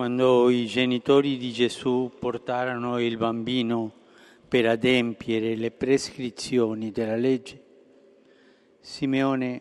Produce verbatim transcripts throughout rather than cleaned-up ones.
Quando i genitori di Gesù portarono il bambino per adempiere le prescrizioni della legge, Simeone,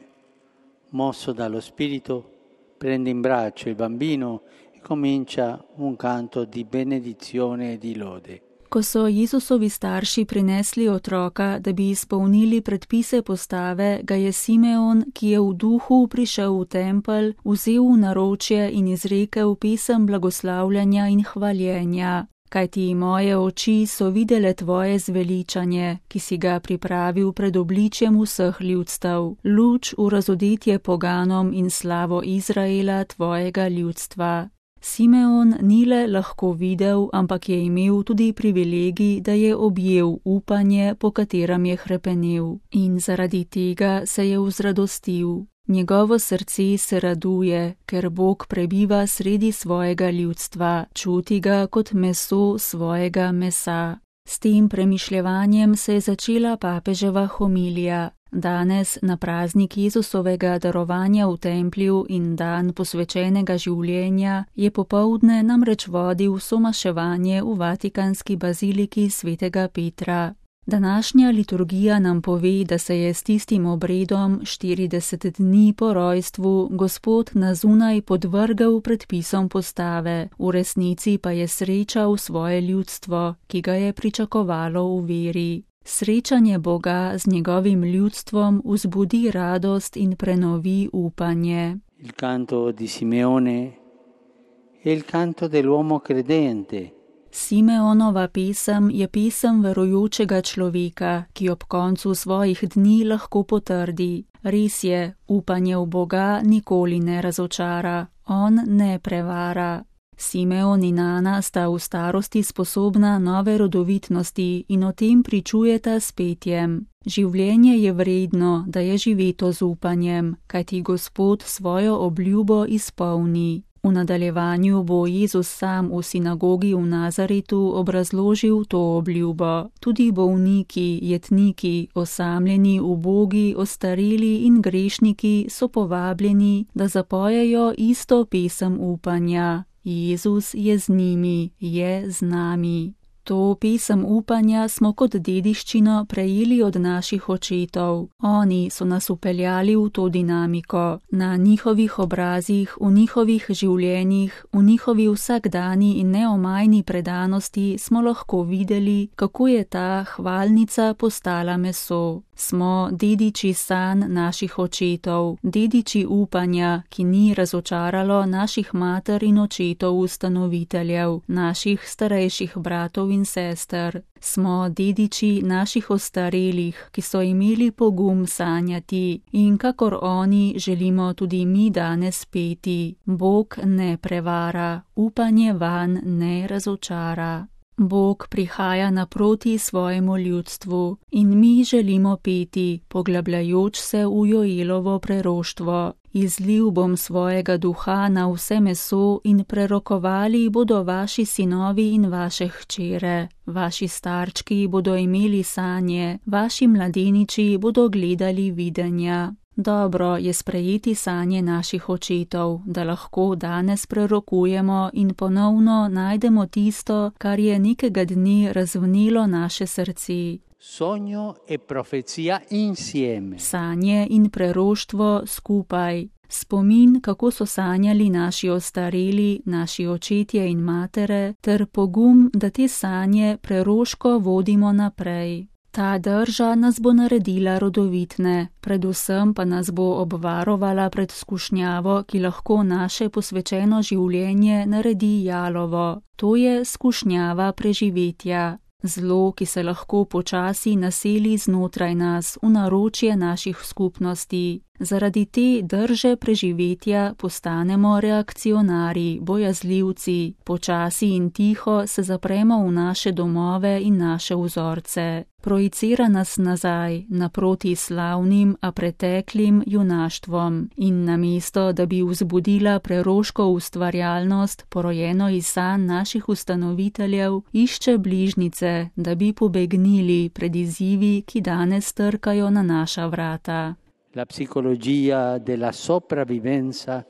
mosso dallo Spirito, prende in braccio il bambino e comincia un canto di benedizione e di lode. Ko so Jezusovi starši prinesli otroka, da bi izpolnili predpise postave, ga je Simeon, ki je v duhu prišel v tempelj, vzel v naročje in izrekel pesem blagoslavljanja in hvaljenja. Kajti moje oči so videle tvoje zveličanje, ki si ga pripravil pred obličjem vseh ljudstev, luč v razodetje poganom in slavo Izraela tvojega ljudstva. Simeon ni le lahko videl, ampak je imel tudi privilegij, da je objel upanje, po katerem je hrepenel, in zaradi tega se je vzradostil. Njegovo srce se raduje, ker Bog prebiva sredi svojega ljudstva, čuti ga kot meso svojega mesa. S tem premišljevanjem se je začela papeževa homilija. Danes, na praznik Jezusovega darovanja v templju in dan posvečenega življenja, je popoldne namreč vodil somaševanje v Vatikanski baziliki svetega Petra. Današnja liturgija nam pove, da se je s tistim obredom štirideset dni po rojstvu Gospod na zunaj podvrgel predpisom postave, v resnici pa je srečal svoje ljudstvo, ki ga je pričakovalo v veri. Srečanje Boga z njegovim ljudstvom vzbudi radost in prenovi upanje. Il canto di Simeone è il canto dell'uomo credente. Simeonova pesem je pesem verujočega človeka, ki ob koncu svojih dni lahko potrdi. Res je, upanje v Boga nikoli ne razočara, on ne prevara. Simeon in Ana sta v starosti sposobna nove rodovitnosti in o tem pričujeta s petjem. Življenje je vredno, da je živeto z upanjem, kajti Gospod svojo obljubo izpolni. V nadaljevanju bo Jezus sam v sinagogi v Nazaretu obrazložil to obljubo. Tudi bolniki, jetniki, osamljeni, ubogi, ostareli in grešniki so povabljeni, da zapojejo isto pesem upanja. Jezus je z njimi, je z nami. To pesem upanja smo kot dediščino prejeli od naših očetov. Oni so nas upeljali v to dinamiko. Na njihovih obrazih, v njihovih življenjih, v njihovi vsakdani in neomajni predanosti smo lahko videli, kako je ta hvalnica postala meso. Smo dediči sanj naših očetov, dediči upanja, ki ni razočaralo naših mater in očetov ustanoviteljev, naših starejših bratov in sester. Smo dediči naših ostarelih, ki so imeli pogum sanjati, in kakor oni želimo tudi mi danes peti. Bog ne prevara, upanje vanj ne razočara. Bog prihaja naproti svojemu ljudstvu in mi želimo peti, poglabljajoč se v Joelovo preroštvo. Izlil bom svojega duha na vse meso in prerokovali bodo vaši sinovi in vaše hčere. Vaši starčki bodo imeli sanje, vaši mladeniči bodo gledali videnja. Dobro je sprejeti sanje naših očetov, da lahko danes prerokujemo in ponovno najdemo tisto, kar je nekega dne razvnelo naše srce. Sogno e profezia insieme. Sanje in preroštvo skupaj. Spomin, kako so sanjali naši ostareli, naši očetje in matere, ter pogum, da te sanje preroško vodimo naprej. Ta drža nas bo naredila rodovitne, predvsem pa nas bo obvarovala pred skušnjavo, ki lahko naše posvečeno življenje naredi jalovo. To je skušnjava preživetja. Zlo, ki se lahko počasi naseli znotraj nas, v naročje naših skupnosti. Zaradi te drže preživetja postanemo reakcionari, bojazljivci, počasi in tiho se zapremo v naše domove in naše vzorce. Projicira nas nazaj, naproti slavnim, a preteklim junaštvom in namesto, da bi vzbudila preroško ustvarjalnost, porojeno iz sanj naših ustanoviteljev, išče bližnjice, da bi pobegnili pred izzivi, ki danes trkajo na naša vrata. La psicologia della sopravvivenza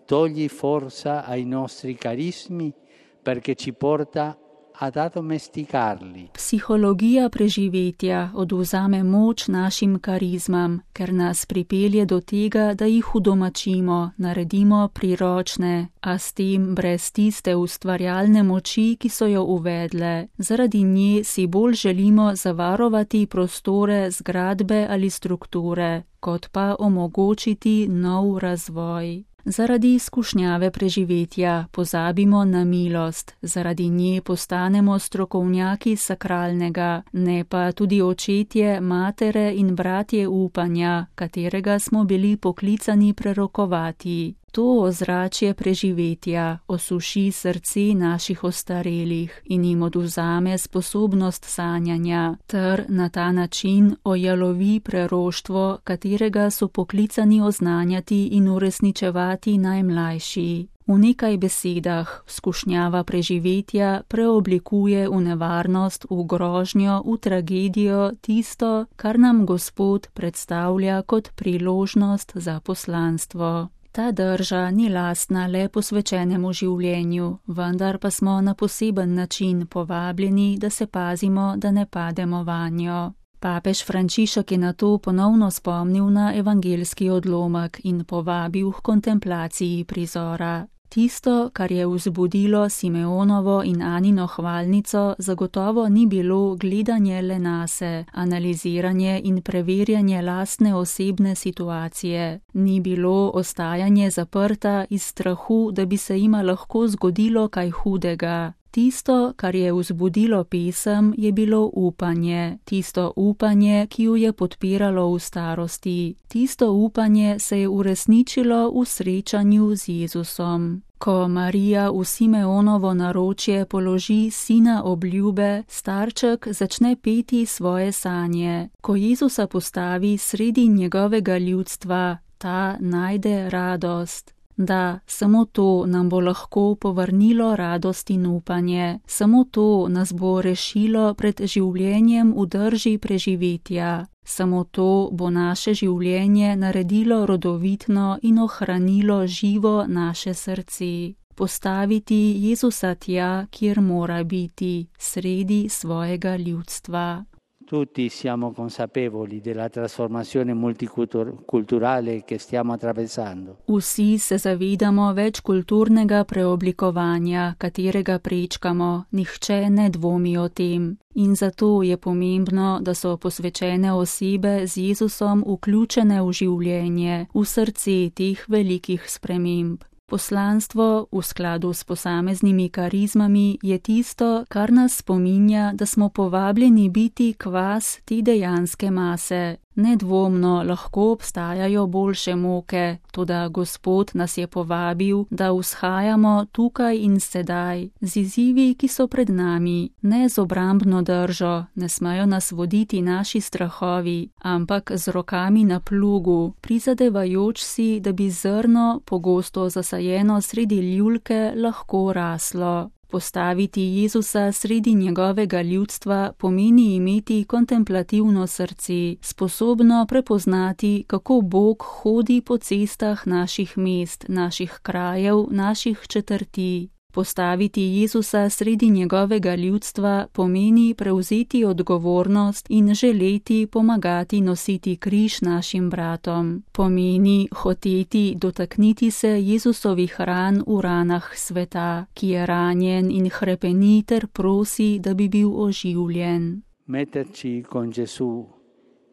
togli forza ai nostri carismi perché ci porta ad addomesticarli. Psihologija preživetja odvzame moč našim karizmam, ker nas pripelje do tega, da jih udomačimo, naredimo priročne, a s tem brez tiste ustvarjalne moči, ki so jo uvedle. Zaradi nje si bolj želimo zavarovati prostore, zgradbe ali strukture, kot pa omogočiti nov razvoj. Zaradi izkušnjave preživetja pozabimo na milost, zaradi nje postanemo strokovnjaki sakralnega, ne pa tudi očetje, matere in bratje upanja, katerega smo bili poklicani prerokovati. To ozračje preživetja osuši srce naših ostarelih in jim odvzame sposobnost sanjanja, ter na ta način ojalovi preroštvo, katerega so poklicani oznanjati in uresničevati najmlajši. V nekaj besedah skušnjava preživetja preoblikuje v nevarnost, v grožnjo, v tragedijo tisto, kar nam Gospod predstavlja kot priložnost za poslanstvo. Ta drža ni lastna le posvečenemu življenju, vendar pa smo na poseben način povabljeni, da se pazimo, da ne pademo vanjo. Papež Frančišek je na to ponovno spomnil na evangeljski odlomek in povabil k kontemplaciji prizora. Tisto, kar je vzbudilo Simeonovo in Anino hvalnico, zagotovo ni bilo gledanje le nase, analiziranje in preverjanje lastne osebne situacije. Ni bilo ostajanje zaprta iz strahu, da bi se jima lahko zgodilo kaj hudega. Tisto, kar je vzbudilo pesem, je bilo upanje. Tisto upanje, ki jo je podpiralo v starosti. Tisto upanje se je uresničilo v srečanju z Jezusom. Ko Marija v Simeonovo naročje položi sina obljube, starček začne peti svoje sanje. Ko Jezusa postavi sredi njegovega ljudstva, ta najde radost. Da, samo to nam bo lahko povrnilo radost in upanje, samo to nas bo rešilo pred življenjem v drži preživetja, samo to bo naše življenje naredilo rodovitno in ohranilo živo naše srce. Postaviti Jezusa tja, kjer mora biti, sredi svojega ljudstva. Tutti siamo consapevoli della trasformazione multiculturale che stiamo attraversando. Vsi se zavedamo večkulturnega preoblikovanja, katerega prečkamo, nihče ne dvomi o tem. In zato je pomembno, da so posvečene osebe z Jezusom vključene v življenje, v srce teh velikih sprememb. Poslanstvo v skladu s posameznimi karizmami je tisto, kar nas spominja, da smo povabljeni biti kvas te dejanske mase. Nedvomno lahko obstajajo boljše moke, toda Gospod nas je povabil, da vzhajamo tukaj in sedaj, z izzivi, ki so pred nami, ne z obrambno držo, ne smejo nas voditi naši strahovi, ampak z rokami na plugu, prizadevajoč si, da bi zrno, pogosto zasajeno sredi ljulke, lahko raslo. Postaviti Jezusa sredi njegovega ljudstva pomeni imeti kontemplativno srce, sposobno prepoznati, kako Bog hodi po cestah naših mest, naših krajev, naših četrti. Postaviti Jezusa sredi njegovega ljudstva pomeni prevzeti odgovornost in želeti pomagati nositi križ našim bratom. Pomeni hoteti dotakniti se Jezusovih ran v ranah sveta, ki je ranjen in hrepeni ter prosi, da bi bil oživljen. Metterci con Gesù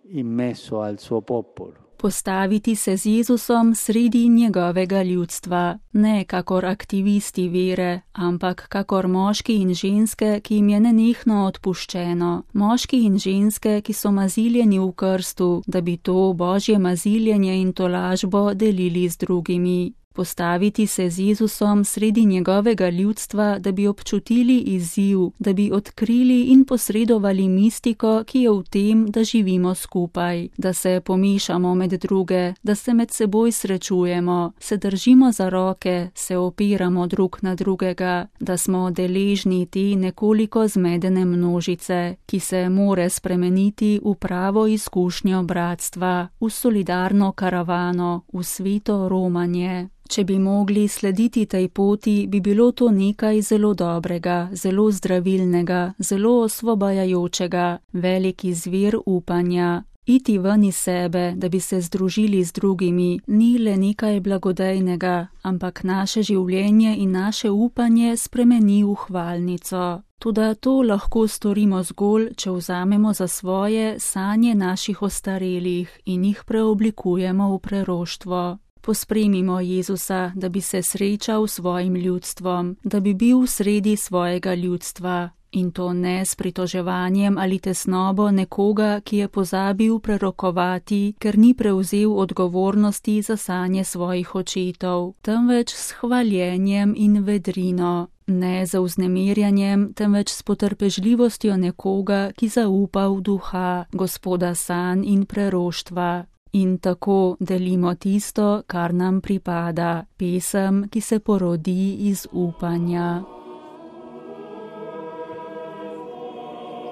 in mezzo al suo popolo. Postaviti se z Jezusom sredi njegovega ljudstva, ne kakor aktivisti vere, ampak kakor moški in ženske, ki jim je nenehno odpuščeno, moški in ženske, ki so maziljeni v krstu, da bi to božje maziljenje in tolažbo delili z drugimi. Postaviti se z Jezusom sredi njegovega ljudstva, da bi občutili izziv, da bi odkrili in posredovali mistiko, ki je v tem, da živimo skupaj, da se pomešamo med druge, da se med seboj srečujemo, se držimo za roke, se opiramo drug na drugega, da smo deležni te nekoliko zmedene množice, ki se more spremeniti v pravo izkušnjo bratstva, v solidarno karavano, v sveto romanje. Če bi mogli slediti tej poti, bi bilo to nekaj zelo dobrega, zelo zdravilnega, zelo osvobajajočega, veliki zvir upanja. Iti ven iz sebe, da bi se združili z drugimi, ni le nekaj blagodejnega, ampak naše življenje in naše upanje spremeni v hvalnico. Toda to lahko storimo zgolj, če vzamemo za svoje sanje naših ostarelih in jih preoblikujemo v preroštvo. Pospremimo Jezusa, da bi se srečal s svojim ljudstvom, da bi bil v sredi svojega ljudstva. In to ne s pritoževanjem ali tesnobo nekoga, ki je pozabil prerokovati, ker ni prevzel odgovornosti za sanje svojih očetov, temveč s hvaljenjem in vedrino. Ne za vznemirjanjem, temveč s potrpežljivostjo nekoga, ki zaupa v duha, Gospoda sanj in preroštva. In tako delimo tisto, kar nam pripada, pesem, ki se porodi iz upanja.